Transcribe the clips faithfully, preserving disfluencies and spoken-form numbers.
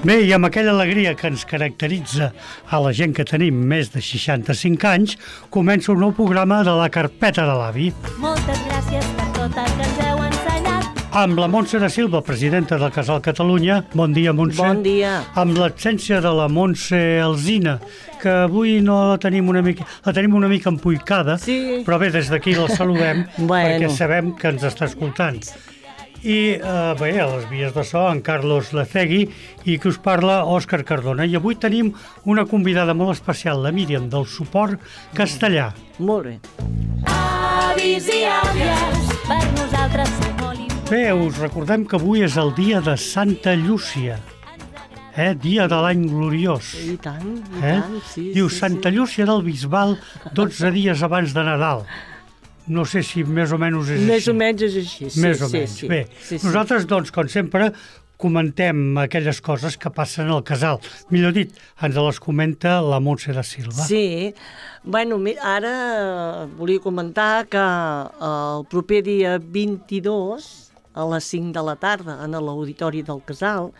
Bé, i amb aquella alegria que ens caracteritza a la gent que tenim més de seixanta-cinc anys, comença un nou programa de la Carpeta de l'Avi. Moltes gràcies per tot el que ens heu ensenyat. Amb la Montse da Silva, presidenta del Casal Catalunya. Bon dia, Montse. Bon dia. Amb l'absència de la Montse Alsina, que avui no la tenim una mica, la tenim una mica empuicada, Sí. però bé, des d'aquí la saludem, Bueno. perquè sabem que ens està escoltant. I eh, bé, a les vies de so, en Carlos Lecegui, i que us parla Òscar Cardona. I avui tenim una convidada molt especial, la Míriam, del suport castellà. Molt bé. Avis i àvies, per nosaltres sou molt importants. Bé, us recordem que avui és el dia de Santa Llúcia, eh? Dia de l'any gloriós. I tant, i Eh? tant, sí. Diu sí, Santa Llúcia del Bisbal, dotze dies abans de Nadal. No sé si més o menys és sí. Més així. o menys és així. Sí, Més o sí, menys. Sí, Bé, sí, sí. nosaltres, doncs, com sempre, comentem aquelles coses que passen al casal. Millor dit, ens les comenta la Montse da Silva. Sí, bueno, mi- ara volia comentar que el proper dia vint-i-dos, a les cinc de la tarda, en l'auditori del casal,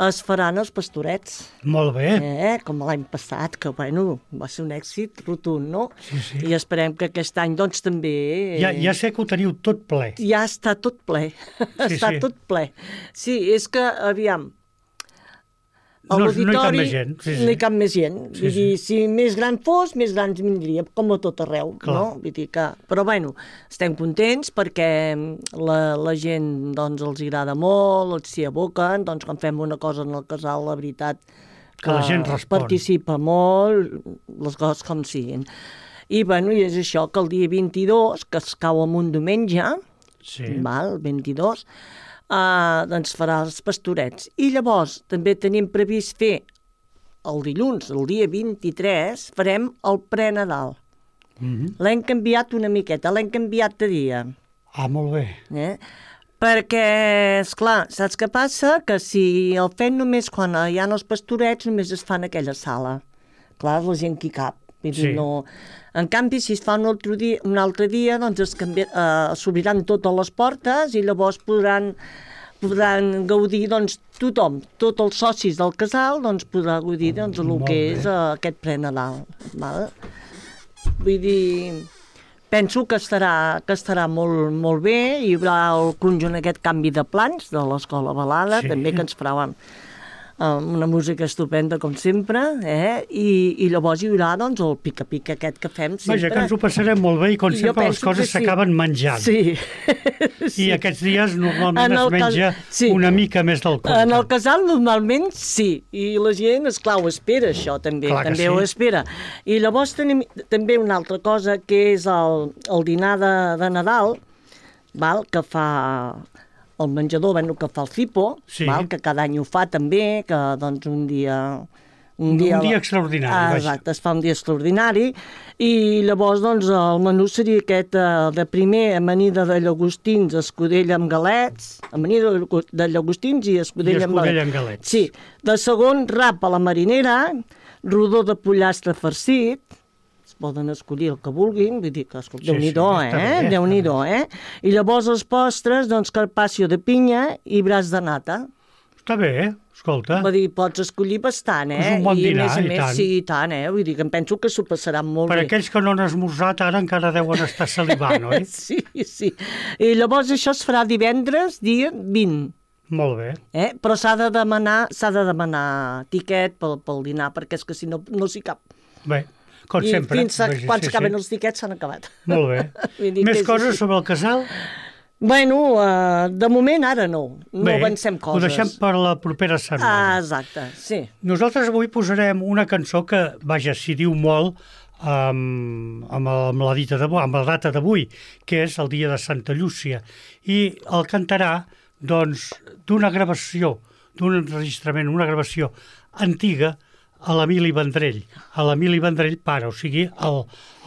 es faran els pastorets. Molt bé. Eh, com l'any passat, que bueno, va ser un èxit rotund, no? Sí, sí. I esperem que aquest any doncs també... Ja, ja sé que ho teniu tot ple. Ja està tot ple, Sí, està sí. tot ple. Sí, és que, aviam, a No- no hi cap l'auditori més gent, sí, sí. no hi cap més gent. Sí, Vull sí. dir, si més gran fos, més grans vindria, com a tot arreu, Clar. no? Vull dir que... Però bueno, estem contents perquè la, la gent doncs, els agrada molt, els s'hi aboquen, doncs quan fem una cosa en el casal, la veritat Que la gent respon. participa molt, les coses com siguin. I bueno, i és això, que el dia vint-i-dos, que es cau en un diumenge, Sí. val, el vint-i-dos, uh, doncs farà els pastorets. I llavors també tenim previst fer el dilluns, el dia vint-i-tres, farem el pre-Nadal. Mhm. L'hem canviat una miqueta, l'hem canviat de dia. Ah, molt bé. Eh? Perquè, esclar, saps què passa? Que si el fem només quan hi ha els pastorets, només es fa en aquella sala. Clar, la gent que hi cap. Vull dir, Sí. no... En canvi, si es fa un altre dia, un altre dia doncs es canvia, eh, s'obriran totes les portes i llavors podran, podran gaudir doncs, tothom, tots els socis del casal doncs, podrà gaudir doncs, el Molt que bé. és eh, aquest pre-Nadal. Val? Vull dir, penso que estarà, que estarà molt, molt bé. Hi haurà el conjunt aquest canvi de plans de l'Escola Balada, Sí. també que ens farà amb una música estupenda, com sempre, eh? I, i llavors hi haurà doncs, el pica-pica aquest que fem sempre. Vaja, que ens ho passarem molt bé i com I jo sempre les penso coses que sí. s'acaben menjant. Sí. I aquests dies normalment En es el cas- menja sí. una mica més del compte. En el casal normalment sí, i la gent, esclar, ho espera això també, Clar que també sí. ho espera. I llavors tenim també una altra cosa que és el, el dinar de, de Nadal, val, que fa el menjador, bueno, que fa el Cipo, Sí. val, que cada any ho fa també, que doncs un dia... Un dia extraordinari, Ah, vaja. exacte, es fa un dia extraordinari, i llavors doncs, el menú seria aquest eh, de primer, amanida de llagostins, escudella amb galets, amanida de llago- de llagostins i escudella, I escudella amb galets. Sí. De segon, rap a la marinera, rodó de pollastre farcit, es poden escollir el que vulguin, vull dir que, escolta, Sí, Déu-n'hi-do, sí, està eh? bé, Déu-n'hi-do, eh? I llavors els postres, doncs, carpaccio de pinya i braç de nata. Està bé, eh? Escolta. Vull dir, pots escollir bastant, eh? És un bon I dinar, a més a i més, tant. sí, i tant, eh? Vull dir que em penso que s'ho passaran molt Per bé. aquells que no han esmorzat, ara encara deuen estar salivant, oi? Sí, sí. I llavors això es farà divendres, dia vint. Molt bé. Eh? Però s'ha de demanar, s'ha de demanar tiquet pel, pel dinar, perquè és que si no, no s'hi cap. Bé, com I sempre. fins a Vaja, quan sí, s'acaben sí. els tiquets s'han acabat. Molt bé. Vull dir que Més és coses així. sobre el casal? Bueno, uh, de moment ara no. No Bé, avancem ho coses. deixem per la propera Ah, setmana. exacte, sí. Nosaltres avui posarem una cançó que, vaja, s'hi diu molt amb, amb, el, amb la dita d'avui, amb la data d'avui, que és el dia de Santa Llúcia. I el cantarà, doncs, d'una gravació, d'un enregistrament, una gravació antiga, a l'Emili Vendrell, a l'Emili Vendrell pare, o sigui, el,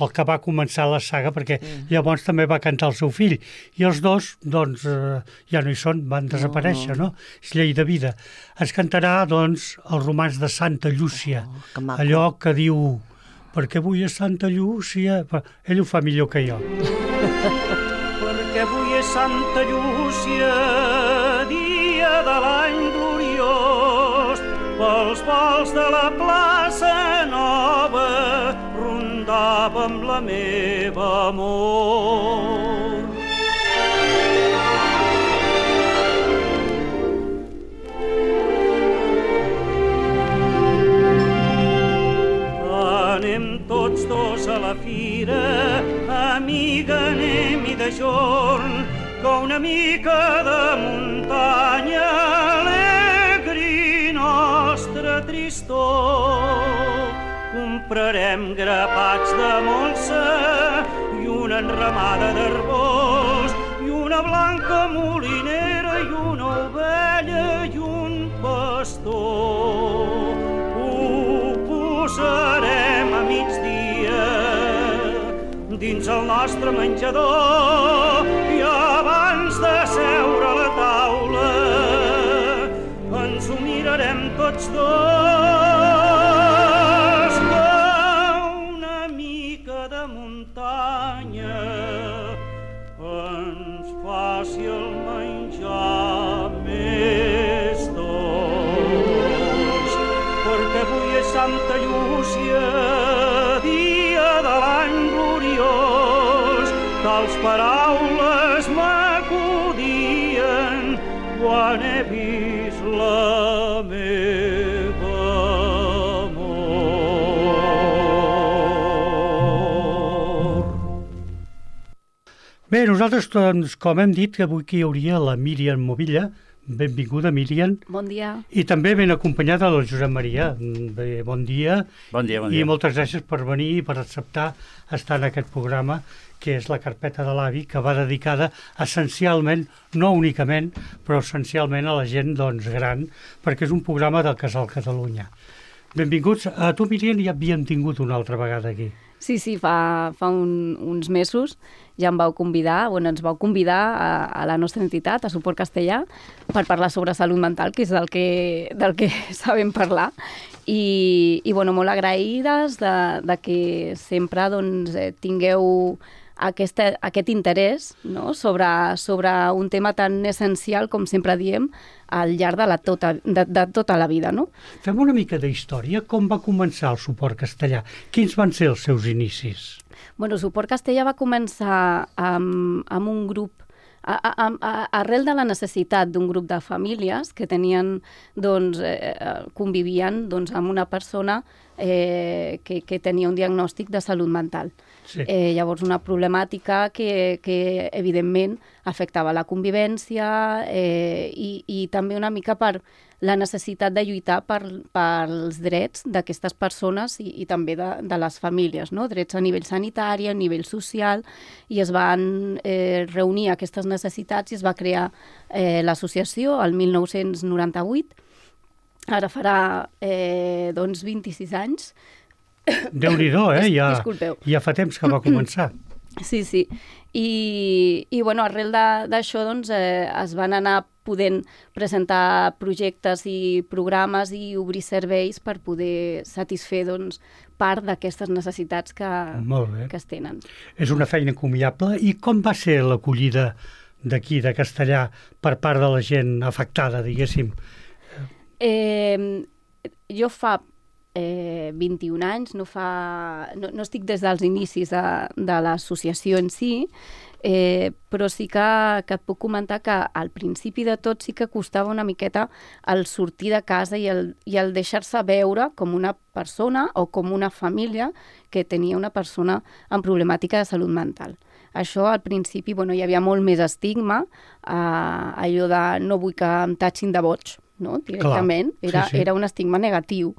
el que va començar la saga, perquè llavors també va cantar el seu fill, i els dos, doncs, eh, ja no hi són, van desaparèixer, no? És llei de vida. Es cantarà, doncs, el romanç de Santa Llúcia, Oh, que maco. allò que diu, perquè avui és Santa Llúcia, però ell ho fa millor que jo. Perquè avui és Santa Llúcia, dia de l'any gloriós, pels vols de la plaça Nova rondava amb la meva amor. Anem tots dos a la fira, amiga, anem-hi de jorn, que una mica de muntanya alegri nostra tristor. Comprarem grapats de molsa i una enramada d'arbós i una blanca molinera i una ovella i un pastor. Ho posarem a migdia dins el nostre menjador i abans de seure a la taula ens ho mirarem tots dos, que una mica de muntanya ens faci el menjar més dolç, perquè avui és Santa Llúcia, dia de l'any gloriós, tals paraules m'acudien quan he vist la meva amor. Bé, nosaltres, doncs, com hem dit, que avui aquí hi hauria la Míriam Movilla. Benvinguda, Míriam. Bon dia. I també ben acompanyada del Josep Maria. Bé, bon dia. Bon dia, bon dia. I moltes gràcies per venir i per acceptar estar en aquest programa, que és la carpeta de l'avi, que va dedicada essencialment, no únicament, però essencialment a la gent, doncs, gran, perquè és un programa del Casal Catalunya. Benvinguts. A tu, Míriam, ja havíem tingut una altra vegada aquí. Sí, sí, fa, fa un, uns mesos ja em vau convidar, bueno, ens vau convidar a, a la nostra entitat, a Suport Castellà, per parlar sobre salut mental, que és del que, del que sabem parlar. I, i bueno, molt agraïdes de, de que sempre doncs, tingueu aquesta, aquest interès, no?, sobre, sobre un tema tan essencial, com sempre diem, al llarg de, la tota, de, de tota la vida, no? Fem una mica d'història. Com va començar el Suport Castellà? Quins van ser els seus inicis? Bueno, Suport Castellà va començar amb, amb un grup, a, a, a, arrel de la necessitat d'un grup de famílies que tenien, doncs, eh, convivien doncs, amb una persona eh, que, que tenia un diagnòstic de salut mental. Sí. Eh, llavors, una problemàtica que, que evidentment afectava la convivència eh, i, i també una mica per la necessitat de lluitar per, pels drets d'aquestes persones i, i també de, de les famílies, no? Drets a nivell sanitari, a nivell social, i es van eh, reunir aquestes necessitats i es va crear eh, l'associació el mil nou-cents noranta-vuit. Ara farà eh, doncs vint-i-sis anys. Déu-n'hi-do, eh? Ja, Disculpeu. Ja fa temps que va començar. Sí, sí. I, i bueno, arrel d'això doncs, eh, es van anar podent presentar projectes i programes i obrir serveis per poder satisfer doncs, part d'aquestes necessitats que, que es tenen. És una feina encomiable. I com va ser l'acollida d'aquí, de Castellà, per part de la gent afectada, diguéssim? Eh, jo fa eh, vint-i-un anys, no, fa, no, no estic des dels inicis de, de l'associació en si, eh, però sí que, que et puc comentar que al principi de tot sí que costava una miqueta el sortir de casa i el, i el deixar-se veure com una persona o com una família que tenia una persona amb problemàtica de salut mental. Això al principi bueno, hi havia molt més estigma, eh, allò de no vull que em tatxin de boig, no? Directament. Clar, era, sí, sí. Era un estigma negatiu.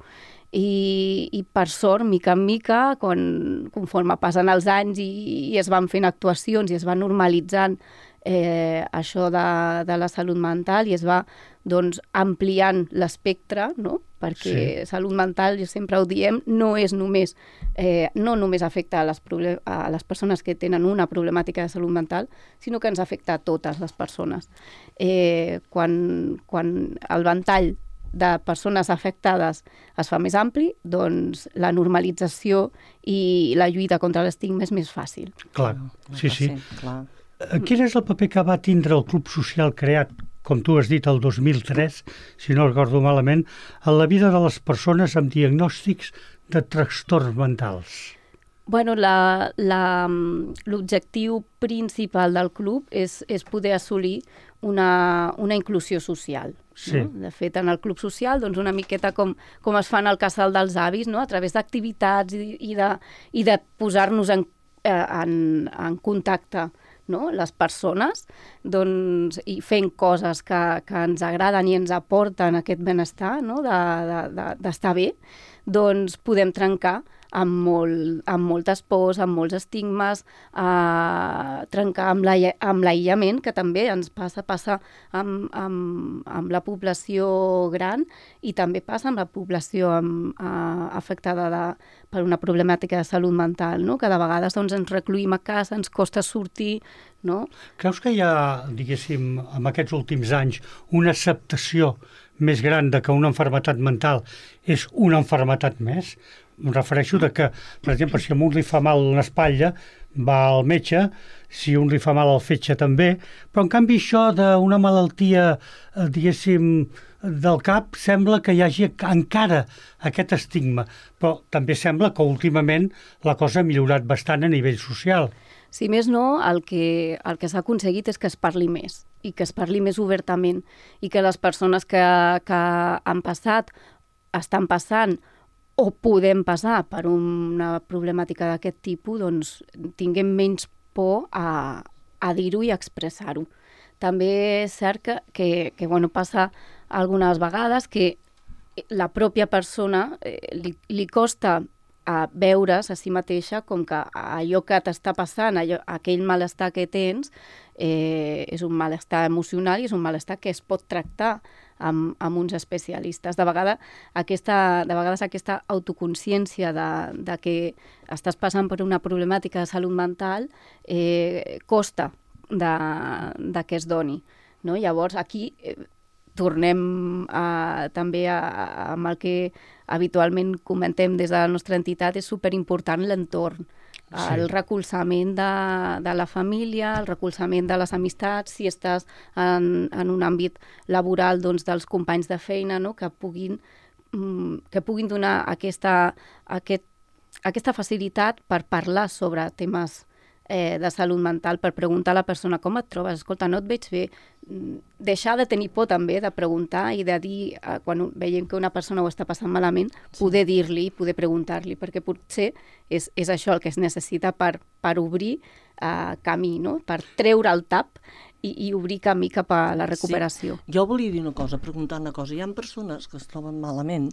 I, i per sort, mica en mica, quan, conforme passen els anys i, i es van fent actuacions i es va normalitzant eh, això de, de la salut mental i es va doncs, ampliant l'espectre, no? Perquè sí. Salut mental, jo sempre ho diem, no és només, eh, no només afecta a les, a les persones que tenen una problemàtica de salut mental, sinó que ens afecta a totes les persones. Eh, quan, quan el ventall de persones afectades es fa més ampli, doncs la normalització i la lluita contra l'estigma és més fàcil. Clar, sí, sí. Clar. Quin és el paper que va tindre el Club Social creat com tu has dit, el dos mil tres, si no recordo malament, en la vida de les persones amb diagnòstics de trastorns mentals? Bueno, la, la, l'objectiu principal del club és, és poder assolir una, una inclusió social. Sí. No? De fet, en el club social, doncs una miqueta com, com es fa en el casal dels avis, no? A través d'activitats i, i, de, i de posar-nos en, en, en contacte, no? Les persones, doncs, i fent coses que, que ens agraden i ens aporten aquest benestar, no? de, de, de, d'estar bé, doncs podem trencar amb, molt, amb moltes pors, amb molts estigmes, eh, trencar amb, la, amb l'aïllament, que també ens passa, passa amb, amb, amb la població gran i també passa amb la població amb, eh, afectada de, per una problemàtica de salut mental, no? Que de vegades doncs, ens recluïm a casa, ens costa sortir, no? Creus que hi ha, diguéssim, en aquests últims anys, una acceptació més gran de que una malaltia mental és una malaltia més? Em refereixo de que, per exemple, si a un li fa mal l'espatlla, va al metge, si a un li fa mal el fetge també, però en canvi això d'una malaltia, eh, diguéssim, del cap, sembla que hi hagi encara aquest estigma, però també sembla que últimament la cosa ha millorat bastant a nivell social. Si més no, el que, el que s'ha aconseguit és que es parli més i que es parli més obertament i que les persones que, que han passat, estan passant o podem passar per una problemàtica d'aquest tipus, doncs tinguem menys por a, a dir-ho i a expressar-ho. També és cert que, que, que bueno, passa algunes vegades que la pròpia persona eh, li, li costa a veure's a si mateixa com que allò que t'està passant, allò, aquell malestar que tens, eh, és un malestar emocional i és un malestar que es pot tractar amb, amb uns especialistes. De, vegada, aquesta, de vegades aquesta autoconsciència de, de que estàs passant per una problemàtica de salut mental eh, costa de, de que es doni. No? Llavors, aquí eh, tornem a, també a, a, amb el que habitualment comentem des de la nostra entitat, és superimportant l'entorn. Sí. El recolzament de, de la família, el recolzament de les amistats, si estàs en, en un àmbit laboral, doncs, dels companys de feina, no? que, puguin, que puguin donar aquesta, aquest, aquesta facilitat per parlar sobre temes eh, de salut mental, per preguntar a la persona com et trobes, escolta, no et veig bé, deixar de tenir por també de preguntar i de dir, eh, quan veiem que una persona ho està passant malament, sí. poder dir-li, poder preguntar-li, perquè potser és, és això el que es necessita per, per obrir eh, camí, no? Per treure el tap i, i obrir camí cap a la recuperació. Sí. Jo volia dir una cosa, preguntar una cosa. Hi ha persones que es troben malament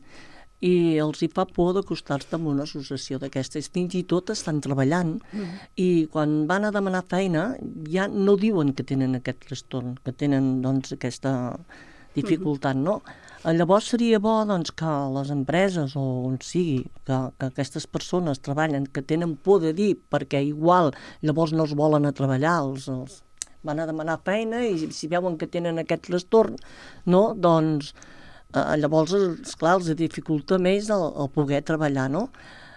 i els hi fa por d'acostar-se amb una associació d'aquestes. Fins i tot estan treballant mm. i quan van a demanar feina ja no diuen que tenen aquest trastorn, que tenen doncs, aquesta dificultat, no? Llavors seria bo doncs, que les empreses o on sigui, que, que aquestes persones treballen, que tenen por de dir, perquè igual llavors no els volen a treballar, els, els van a demanar feina i si veuen que tenen aquest trastorn, no? Doncs Uh, llavors, esclar, els dificulta més el, el poder treballar, no?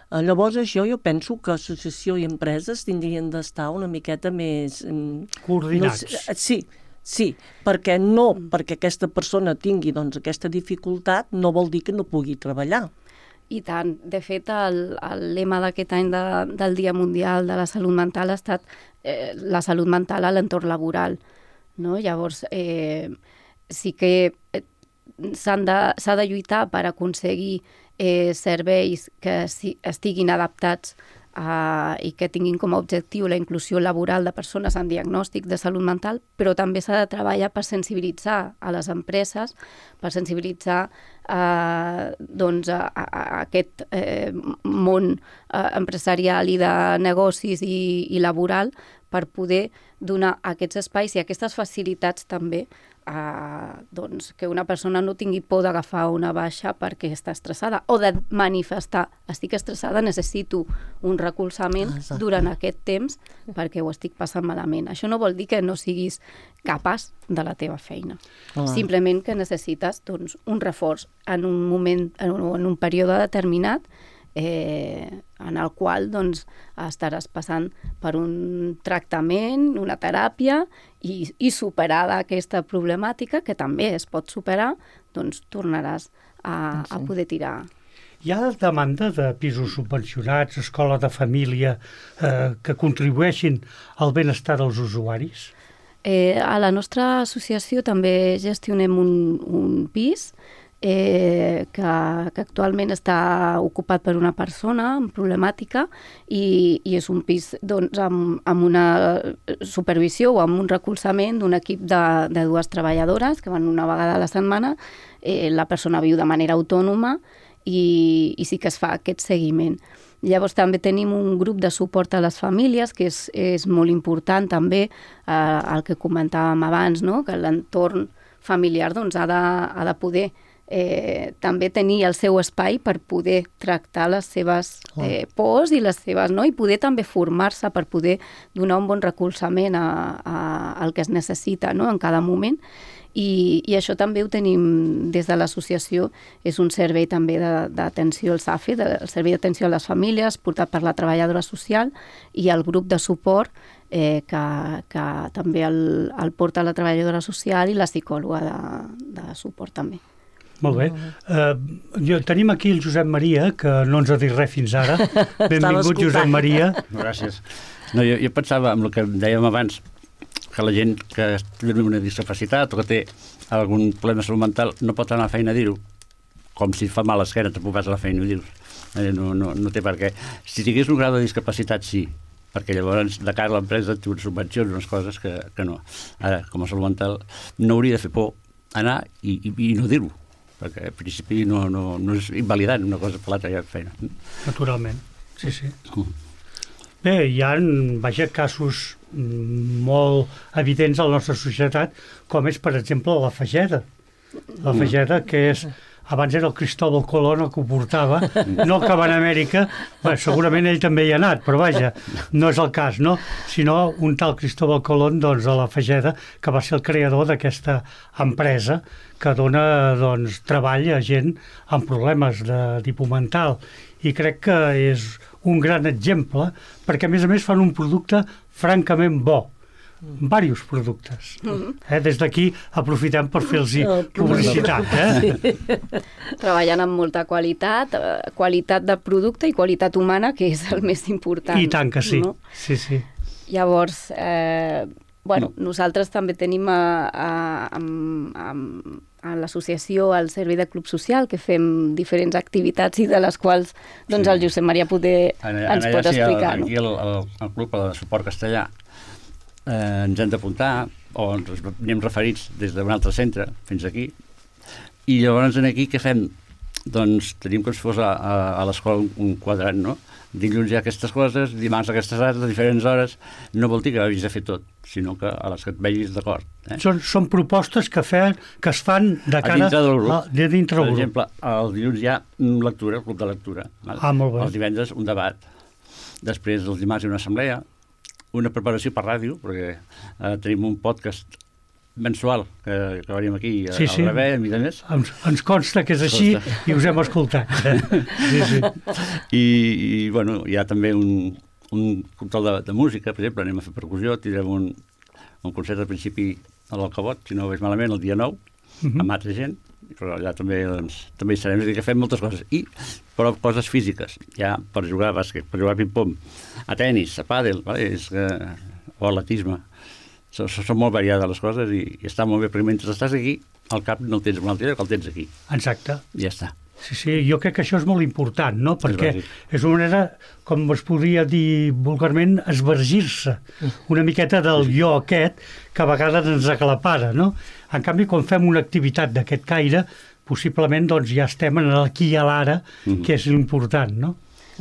Uh, llavors, això jo penso que associació i empreses tindrien d'estar una miqueta més... Um, coordinats. No, sí, sí, perquè no perquè aquesta persona tingui doncs, aquesta dificultat no vol dir que no pugui treballar. I tant. De fet, el, el lema d'aquest any de, del Dia Mundial de la Salut Mental ha estat eh, la salut mental a l'entorn laboral, no? Llavors, eh, sí que... Eh, s'ha de, s'ha de lluitar per aconseguir eh, serveis que si, estiguin adaptats a, i que tinguin com a objectiu la inclusió laboral de persones amb diagnòstic de salut mental, però també s'ha de treballar per sensibilitzar a les empreses, per sensibilitzar eh, doncs, a, a, a aquest eh, món eh, empresarial i de negocis i, i laboral per poder donar aquests espais i aquestes facilitats també a, doncs, que una persona no tingui por d'agafar una baixa perquè està estressada o de manifestar, estic estressada, necessito un recolzament Exacte. Durant aquest temps perquè ho estic passant malament. Això no vol dir que no siguis capaç de la teva feina. Hola. Simplement que necessites doncs, un reforç en un moment, en un, en un període determinat eh, en el qual doncs, estaràs passant per un tractament, una teràpia, i, i superada aquesta problemàtica, que també es pot superar, doncs tornaràs a, a poder tirar. Hi ha demanda de pisos subvencionats, escola de família, eh, que contribueixin al benestar dels usuaris? Eh, a la nostra associació també gestionem un, un pis eh, que, que actualment està ocupat per una persona amb problemàtica i, i és un pis doncs, amb, amb una supervisió o amb un recolzament d'un equip de, de dues treballadores que van una vegada a la setmana. Eh, la persona viu de manera autònoma i, i sí que es fa aquest seguiment. Llavors també tenim un grup de suport a les famílies, que és, és molt important també, eh, el que comentàvem abans, no? Que l'entorn familiar doncs, ha, de, ha de poder eh, també tenir el seu espai per poder tractar les seves eh, pors i les seves, no? I poder també formar-se per poder donar un bon recolzament a, a, al que es necessita, no? En cada moment. I, i això també ho tenim des de l'associació, és un servei també d'atenció al S A F E, el servei d'atenció a les famílies, portat per la treballadora social, i el grup de suport eh, que, que també el, el porta la treballadora social i la psicòloga de, de suport també. Molt bé. Uh, jo, tenim aquí el Josep Maria, que no ens ha dit res fins ara. Benvingut, Josep Maria. Gràcies. No, jo, jo pensava amb el que dèiem abans, que la gent que té una discapacitat o que té algun problema de salut mental no pot anar a la feina a dir-ho, com si fa mal a l'esquena, tampoc vas a la feina i ho dius. Eh, no, no, no té per què. Si tingués un grau de discapacitat, sí, perquè llavors de cara a l'empresa té unes subvencions, unes coses que, que no. Ara, com a salut mental, no hauria de fer por anar i, i, i no dir-ho, perquè al principi no, no, no és invalidant una cosa per l'altra, ja feina. Naturalment, sí, sí. Mm. Bé, hi ha, vaja, casos molt evidents a la nostra societat, com és, per exemple, la Fageda. La Fageda, que és, abans era el Cristóbal Colón el que ho portava, no el que va a Amèrica, bé, segurament ell també hi ha anat, però vaja, no és el cas, no? Sinó un tal Cristóbal Colón, doncs, a la Fageda, que va ser el creador d'aquesta empresa que dona, doncs, treball a gent amb problemes de tipus mental. I crec que és un gran exemple, perquè a més a més fan un producte francament bo, diversos productes. Eh? Des d'aquí aprofitem per fer-los publicitat. Eh? Treballant amb molta qualitat, qualitat de producte i qualitat humana, que és el més important. I tant que sí, no? sí, sí. Llavors, eh, bueno, nosaltres també tenim a, a, a, a, a l'associació el servei de club social, que fem diferents activitats i de les quals doncs, el Josep Maria poder en, ens en pot sí, explicar. El, aquí el, el, el club de suport castellà eh, ens hem d'apuntar o ens anem referits des d'un altre centre fins aquí i llavors aquí què fem? Doncs tenim com si fos a, a, a l'escola un quadrat, no? Dilluns hi ha aquestes coses, dimarts aquestes hores, a diferents hores, no vol dir que hagis de fer tot, sinó que a les que et vegis d'acord. Eh? Són, són propostes que, fe, que es fan de cara a dintre del grup. A, de dintre del per grup. exemple, el dilluns hi ha lectura, el club de lectura. Val? Ah, molt bé. Els divendres un debat. Després els dimarts hi ha una assemblea, una preparació per ràdio, perquè eh, tenim un podcast mensual que, que venim aquí a, sí, sí. al Rebé, a mi de més. Ens, ens consta que és així i us hem escoltat. Sí, sí. I, i bueno, hi ha també un, un control de, de música, per exemple, anem a fer percussió, tindrem un, un concert al principi a l'Alcabot, si no ho veig malament, el dia nou, uh -huh. amb altra gent, però allà també, doncs, també hi serem, és a dir, que fem moltes coses. I, però coses físiques, ja per jugar a bàsquet, per jugar a ping-pong, a tennis, a pàdel, vale? És que, o a atletisme. Són, són molt variades les coses i, i està molt bé, perquè mentre estàs aquí, al cap no el tens una altra, que el tens aquí. Exacte. I ja està. Sí, sí, jo crec que això és molt important, no? Perquè és, és una manera, com es podria dir vulgarment, esvergir-se una miqueta del jo aquest que a vegades ens aclapara, no? En canvi, quan fem una activitat d'aquest caire, possiblement doncs, ja estem en l'aquí i a l'ara, mm-hmm. que és important, no?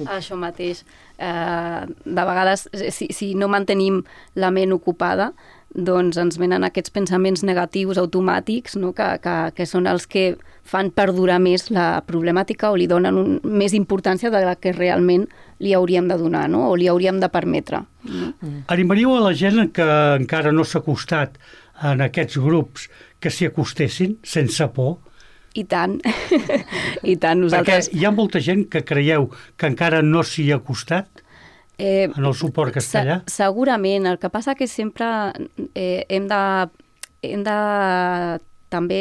Això mateix. Eh, de vegades, si, si no mantenim la ment ocupada, doncs ens venen aquests pensaments negatius automàtics, no? que, que, que són els que fan perdurar més la problemàtica o li donen un, més importància de la que realment li hauríem de donar, no? O li hauríem de permetre. No? Mm. Animaríeu a la gent que encara no s'ha acostat en aquests grups que s'hi acostessin sense por, I tant, i tant. Nosaltres... Perquè hi ha molta gent que creieu que encara no s'hi ha acostat Eh, en el suport castellà? Se, segurament. El que passa que sempre eh, hem de, hem de també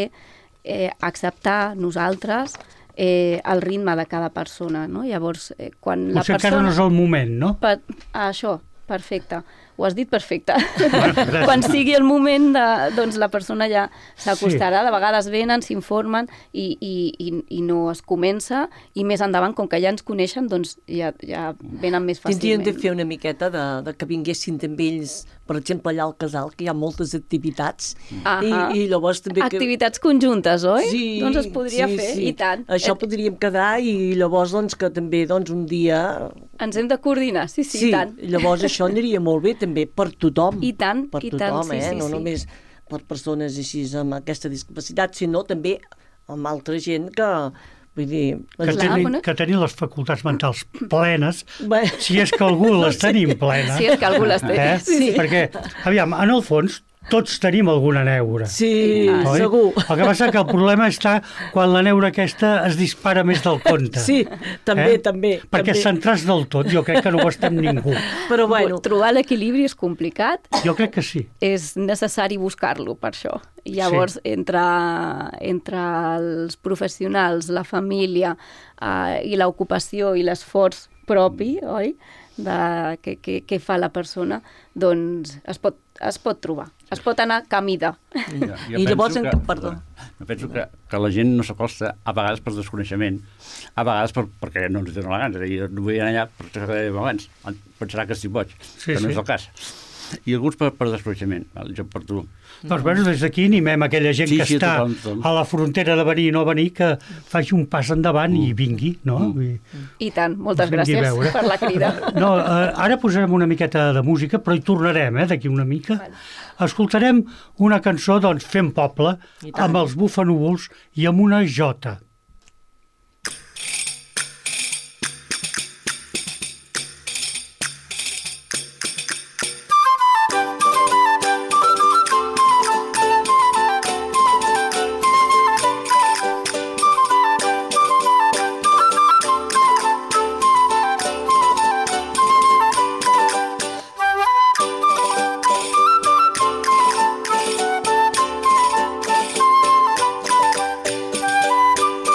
eh, acceptar nosaltres eh, el ritme de cada persona, no? Llavors, eh, quan la Potser persona... encara no és el moment, no? Per, això, perfecte. Ho has dit perfecte. Bueno, quan sigui el moment, de, doncs la persona ja s'acostarà. Sí. De vegades venen, s'informen i, i, i, i no es comença, i més endavant, com que ja ens coneixen, doncs ja, ja venen més fàcilment. Tindríem de fer una miqueta de, de que vinguessin també ells, per exemple, allà al casal, que hi ha moltes activitats, i, i llavors també... Que... Activitats conjuntes, oi? Sí, doncs es podria sí, fer, sí. i tant. Això podríem quedar, i llavors doncs, que també doncs, un dia... Ens hem de coordinar, sí, sí, sí, i tant. Llavors això aniria molt bé també per tothom. I tant, per i tothom, tant, sí, eh? sí, No sí. només per persones així amb aquesta discapacitat, sinó també amb altra gent que... Vull dir... Que, Clar, tenen, bueno. que tenen les facultats mentals plenes, Bé. si és que algú les tenim plenes. Si és que algú les té. Eh? Sí, sí. Perquè, aviam, en el fons, tots tenim alguna neura. Sí, Oi? segur. El que passa que el problema està quan la neura aquesta es dispara més del compte. Sí, també, Eh? també. Perquè també. centrar-se del tot, jo crec que no ho estem ningú. Però bueno, Trobar l'equilibri és complicat, Jo crec que sí. és necessari buscar-lo per això. I llavors, sí. entre, entre els professionals, la família eh, i l'ocupació i l'esforç propi, oi?, de què, què, què fa la persona, doncs es pot, es pot trobar, es pot anar camí de. Jo, jo I llavors penso en- que, perdó. Jo penso que, que la gent no s'acosta a vegades per desconeixement, a vegades per, perquè no ens dona la gana. És a dir, no vull anar allà per això que dèiem abans. Pensarà que estic boig, Sí, però no sí. és el cas. I alguns per, per desconeixement. Val? Jo per tu. Doncs bueno, des d'aquí animem aquella gent Sí, que sí, està tothom, tothom. a la frontera de venir i no venir, que faci un pas endavant i vingui, no? Vull dir, I tant, moltes Us vingui a gràcies veure. per la crida. No, eh, ara posarem una miqueta de música, però hi tornarem, eh, d'aquí una mica. Escoltarem una cançó, doncs, Fem Poble, I tant. amb els Bufanúvols i amb una jota. Thank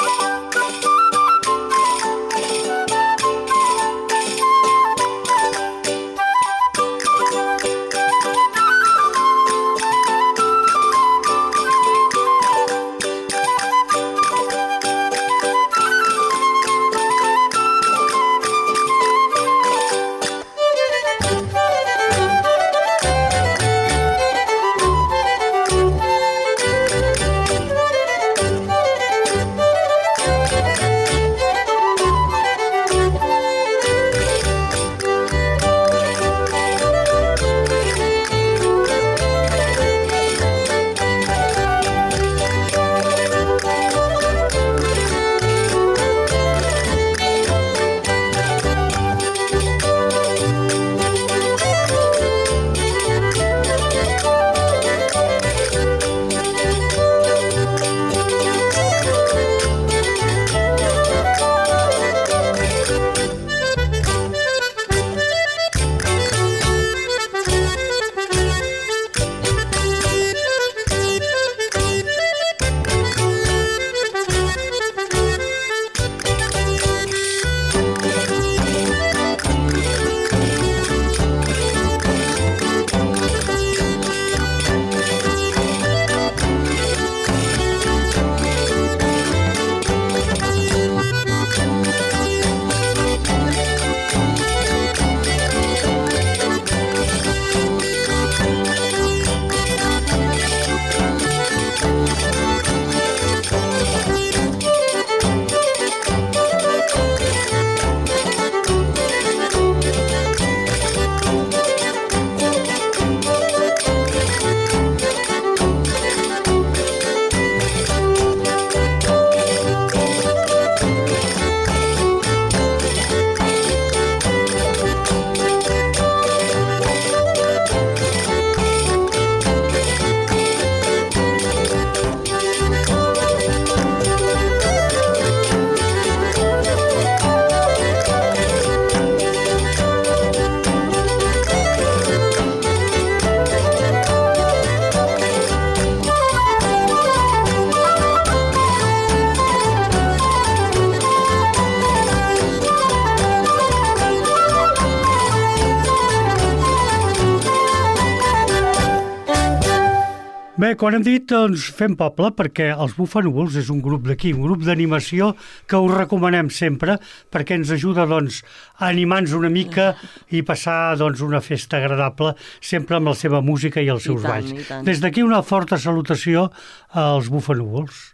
Bé, quan hem dit, doncs, fem poble, perquè els Bufanúvols és un grup d'aquí, un grup d'animació que us recomanem sempre, perquè ens ajuda, doncs, a animar-nos una mica i passar, doncs, una festa agradable, sempre amb la seva música i els seus I tant, balls. i tant. Des d'aquí una forta salutació als Bufanúvols.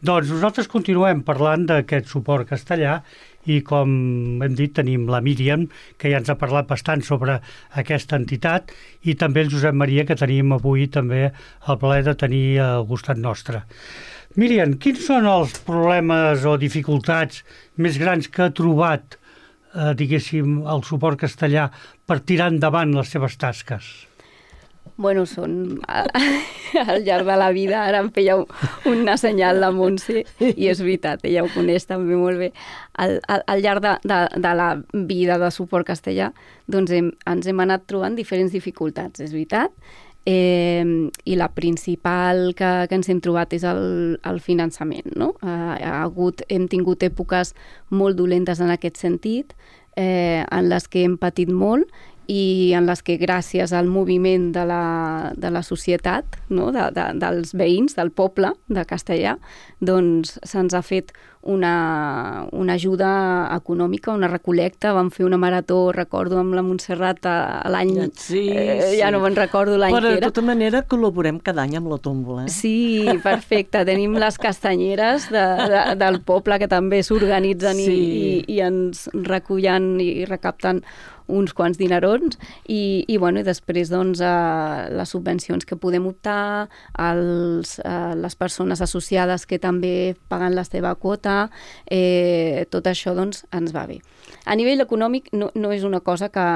Doncs nosaltres continuem parlant d'aquest suport castellà i, com hem dit, tenim la Míriam, que ja ens ha parlat bastant sobre aquesta entitat, i també el Josep Maria, que tenim avui també el plaer de tenir al costat nostre. Míriam, quins són els problemes o dificultats més grans que ha trobat, eh, diguéssim, el suport castellà per tirar endavant les seves tasques? Bueno, són al llarg de la vida, ara em feia una senyal la Montse, i és veritat, ella ho coneix també molt bé. Al, al, al llarg de, de, de la vida de suport castellà, doncs hem, ens hem anat trobant diferents dificultats, és veritat, eh, i la principal que, que ens hem trobat és el, el finançament, no? Ha, ha hagut, hem tingut èpoques molt dolentes en aquest sentit, eh, en les que hem patit molt, i en les que gràcies al moviment de la, de la societat, no? de, de, dels veïns, del poble de Castellà, doncs se'ns ha fet una, una ajuda econòmica, una recolecta. Vam fer una marató, recordo, amb la Montserrat l'any... Sí, eh, ja sí. no me'n recordo l'any Però que de era. tota manera col·laborem cada any amb la tómbola. Eh? Sí, perfecte. Tenim les castanyeres de, de, del poble que també s'organitzen Sí. i, i, i ens recullen i recapten uns quants dinerons i, i, bueno, i després doncs, eh, les subvencions que podem optar, els, eh, les persones associades que també paguen la seva quota, eh, tot això doncs, ens va bé. A nivell econòmic no, no és una cosa que,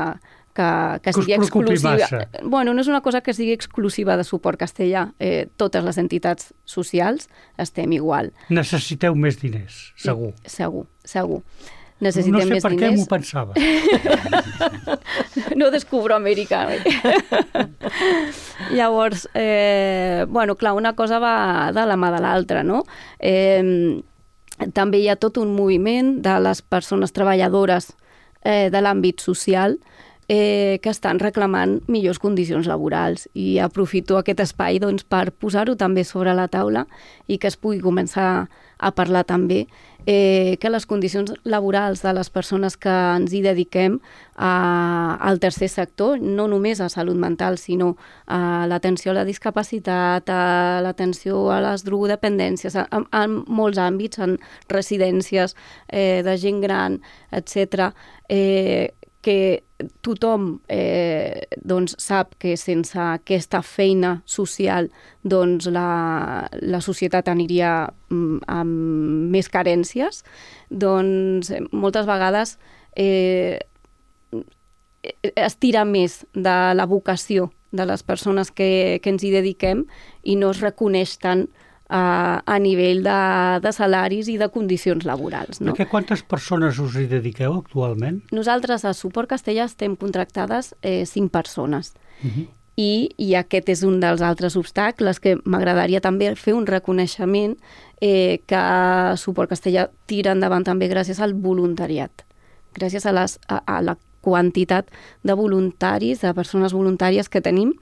que, que Que us sigui preocupi exclusiva. massa. Bueno, no és una cosa que sigui exclusiva de suport castellà. Eh, totes les entitats socials estem igual. Necessiteu més diners, segur. Segur, segur. No Necessitem sé més per què diners. m'ho pensava. No descubro Amèrica. Llavors, eh, bueno, clar, una cosa va de la mà de l'altra, no? Eh, també hi ha tot un moviment de les persones treballadores eh, de l'àmbit social eh, que estan reclamant millors condicions laborals, i aprofito aquest espai doncs, per posar-ho també sobre la taula i que es pugui començar a parlar també eh, que les condicions laborals de les persones que ens hi dediquem a, al tercer sector, no només a salut mental, sinó a l'atenció a la discapacitat, a l'atenció a les drogodependències, en, en molts àmbits, en residències eh, de gent gran, etcètera, eh, que tothom eh, doncs sap que sense aquesta feina social doncs la, la societat aniria mm, amb més carències, doncs moltes vegades eh, es tira més de la vocació de les persones que, que ens hi dediquem i no es reconeix tant a, a nivell de, de salaris i de condicions laborals. No? Perquè quantes persones us hi dediqueu actualment? Nosaltres a Suport Castellà estem contractades eh, cinc persones. Uh -huh. I, I aquest és un dels altres obstacles que m'agradaria també fer un reconeixement eh, que Suport Castellà tira endavant també gràcies al voluntariat. Gràcies a, les, a, a la quantitat de voluntaris, de persones voluntàries que tenim,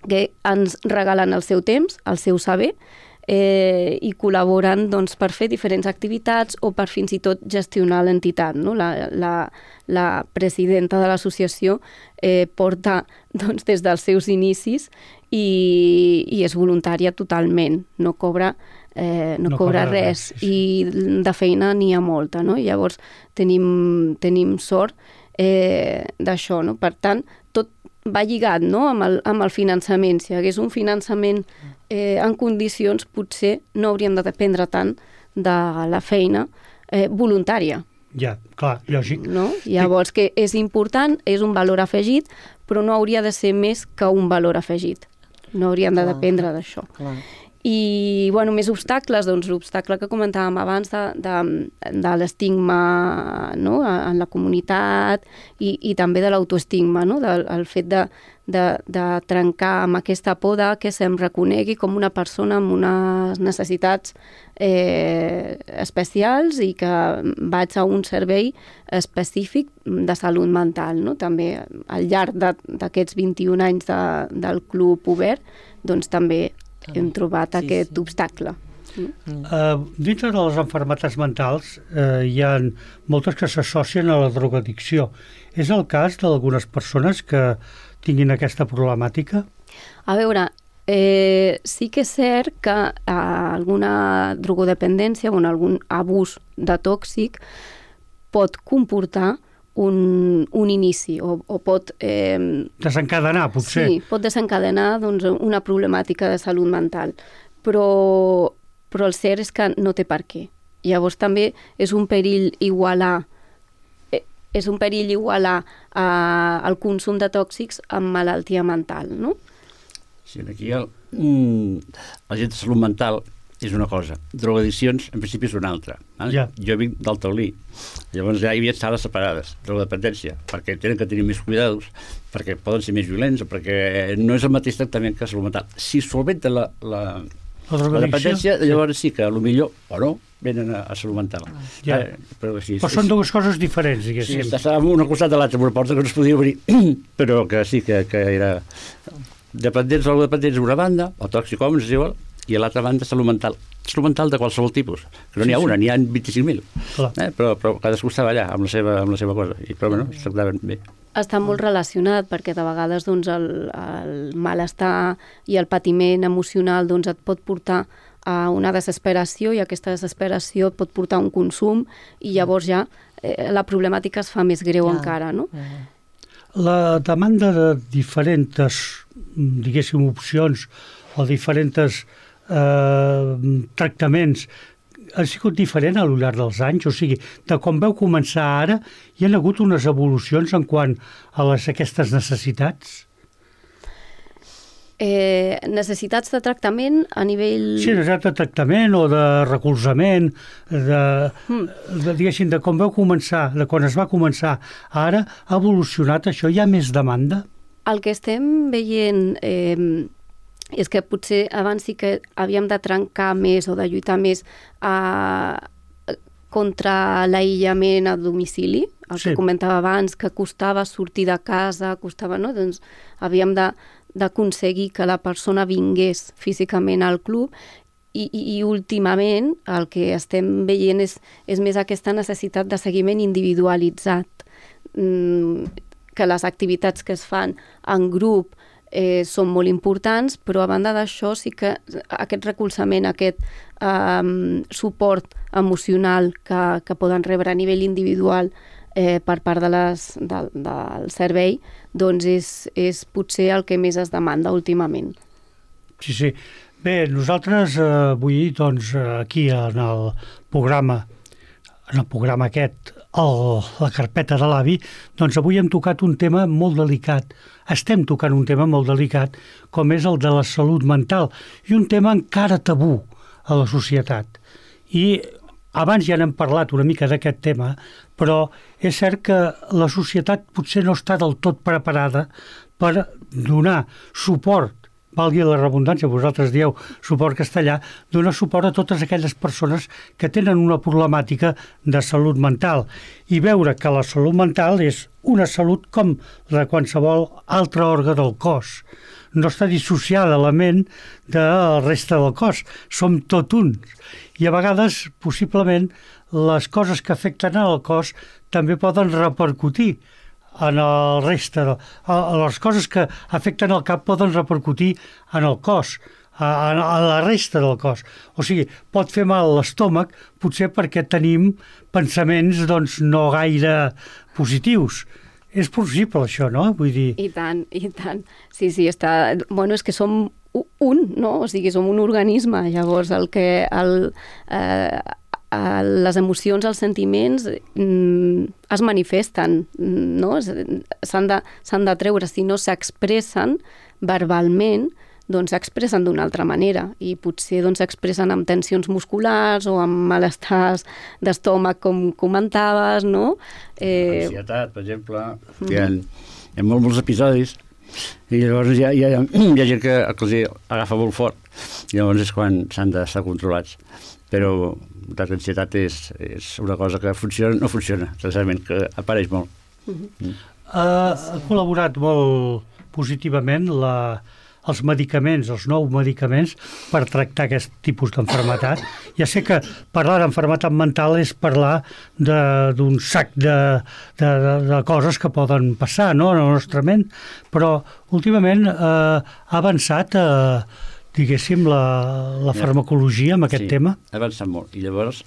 que ens regalen el seu temps, el seu saber, eh, i col·laboren doncs, per fer diferents activitats o per fins i tot gestionar l'entitat. No? La, la, la presidenta de l'associació eh, porta doncs, des dels seus inicis i, i és voluntària totalment, no cobra, eh, no No cobra cobra res, res, sí, i de feina n'hi ha molta. No? Llavors tenim, tenim sort eh, d'això. No? Per tant, tot va lligat, no? amb, el, amb el finançament. Si hi hagués un finançament eh, en condicions, potser no hauríem de dependre tant de la feina eh, voluntària. Ja, clar, lògic. No? Llavors, que és important, és un valor afegit, però no hauria de ser més que un valor afegit. No hauríem de Clar. dependre d'això. Clar. I, bueno, més obstacles, doncs l'obstacle que comentàvem abans de, de, de l'estigma, no?, en la comunitat i, i també de l'autoestigma, no?, del el fet de, de, de trencar amb aquesta por de que se'm reconegui com una persona amb unes necessitats eh, especials i que vaig a un servei específic de salut mental, no? També al llarg d'aquests vint-i-un anys de, del Club Obert, doncs també hem trobat sí, aquest sí. obstacle. Mm. Uh, dintre de les malalties mentals uh, hi ha moltes que s'associen a la drogadicció. És el cas d'algunes persones que tinguin aquesta problemàtica? A veure, eh, sí que és cert que uh, alguna drogodependència o algun abús de tòxic pot comportar un, un inici o, o pot... Eh, desencadenar, potser. Sí, pot desencadenar doncs, una problemàtica de salut mental, però, però el cert és que no té per què. Llavors també és un perill igualar és un perill igualar eh, el consum de tòxics amb malaltia mental, no? Sí, aquí el, mm, la gent de salut mental és una cosa, drogadiccions en principi és una altra. Eh? Ja. Jo vinc del Taulí, llavors ja hi havia sales separades, drogodependència, perquè tenen que tenir més cuidados, perquè poden ser més violents o perquè no és el mateix tractament que salut mental. Si solventa la, la, la, la dependència, llavors sí que potser o no venen a, a salut mental. Ja. Eh, però sí, però sí, són sí. dues coses diferents, diguéssim. Sí, estàvem una costat de l'altra, una porta que no es podia obrir, però que sí, que, que era dependents o dependents d'una banda, o toxicòmens, és igual, i a l'altra banda salut mental. Salut mental de qualsevol tipus, que no n'hi ha sí, una, sí. n'hi ha vint-i-cinc mil. Eh? Però, però cadascú estava allà amb la seva, amb la seva cosa, i, però bueno, es tractaven bé. Està molt relacionat, perquè de vegades doncs, el, el malestar i el patiment emocional doncs, et pot portar a una desesperació, i aquesta desesperació et pot portar a un consum, i llavors ja eh, la problemàtica es fa més greu ja. encara, no? Ja. La demanda de diferents, diguéssim, opcions o diferents eh, tractaments ha sigut diferent a lo llarg dels anys? O sigui, de quan vau començar ara, hi ha hagut unes evolucions en quant a les, aquestes necessitats? Eh, necessitats de tractament a nivell... Sí, necessitats de tractament o de recolzament, de, mm. de, diguéssim, de com vau començar, de quan es va començar. Ara ha evolucionat això? Hi ha més demanda? El que estem veient eh, és que potser abans sí que havíem de trencar més o de lluitar més a, contra l'aïllament a domicili, el sí. que comentava abans, que costava sortir de casa, costava, no? Doncs havíem de d'aconseguir que la persona vingués físicament al club i, i, i últimament el que estem veient és, és més aquesta necessitat de seguiment individualitzat, mm, que les activitats que es fan en grup eh, són molt importants, però a banda d'això sí que aquest recolzament, aquest eh, suport emocional que, que poden rebre a nivell individual eh, per part de les, de, del servei, doncs és, és potser el que més es demanda últimament. Sí, sí. Bé, nosaltres eh, avui, doncs, aquí en el programa, en el programa aquest, el, la carpeta de l'avi, doncs avui hem tocat un tema molt delicat. Estem tocant un tema molt delicat, com és el de la salut mental, i un tema encara tabú a la societat. I abans ja n'hem parlat una mica d'aquest tema, però és cert que la societat potser no està del tot preparada per donar suport, valgui la redundància, vosaltres dieu suport castellà, donar suport a totes aquelles persones que tenen una problemàtica de salut mental i veure que la salut mental és una salut com la de qualsevol altre òrgan del cos. No està dissociada la ment de la resta del cos, som tot uns. I a vegades, possiblement, les coses que afecten al cos també poden repercutir en el reste. Les coses que afecten el cap poden repercutir en el cos, a, a la resta del cos. O sigui, pot fer mal l'estómac, potser perquè tenim pensaments doncs, no gaire positius. És possible això, no? Vull dir... I tant, i tant. Sí, sí, està... Bueno, és que som un, no? O sigui, som un organisme. Llavors, el que... El, eh, les emocions, els sentiments mm, es manifesten, no? S'han de, s'han de treure. Si no s'expressen verbalment, doncs s'expressen d'una altra manera i potser doncs s'expressen amb tensions musculars o amb malestars d'estómac, com comentaves, no? Eh... Ansietat, per exemple. Mm. Hi ha, hi ha molts, molts episodis i llavors hi ha, hi ha, hi ha gent que, que els agafa molt fort i llavors és quan s'han d'estar controlats. Però l'ansietat és, és una cosa que funciona no funciona, precisament, que apareix molt. Mm-hmm. Mm. Uh, ha col·laborat molt positivament la, els medicaments, els nous medicaments per tractar aquest tipus d'enfermetat. Ja sé que parlar d'enfermetat mental és parlar d'un sac de, de, de, de coses que poden passar, no?, en el nostre ment, però últimament eh, ha avançat eh, diguéssim la, la farmacologia amb aquest sí, tema. Ha avançat molt i llavors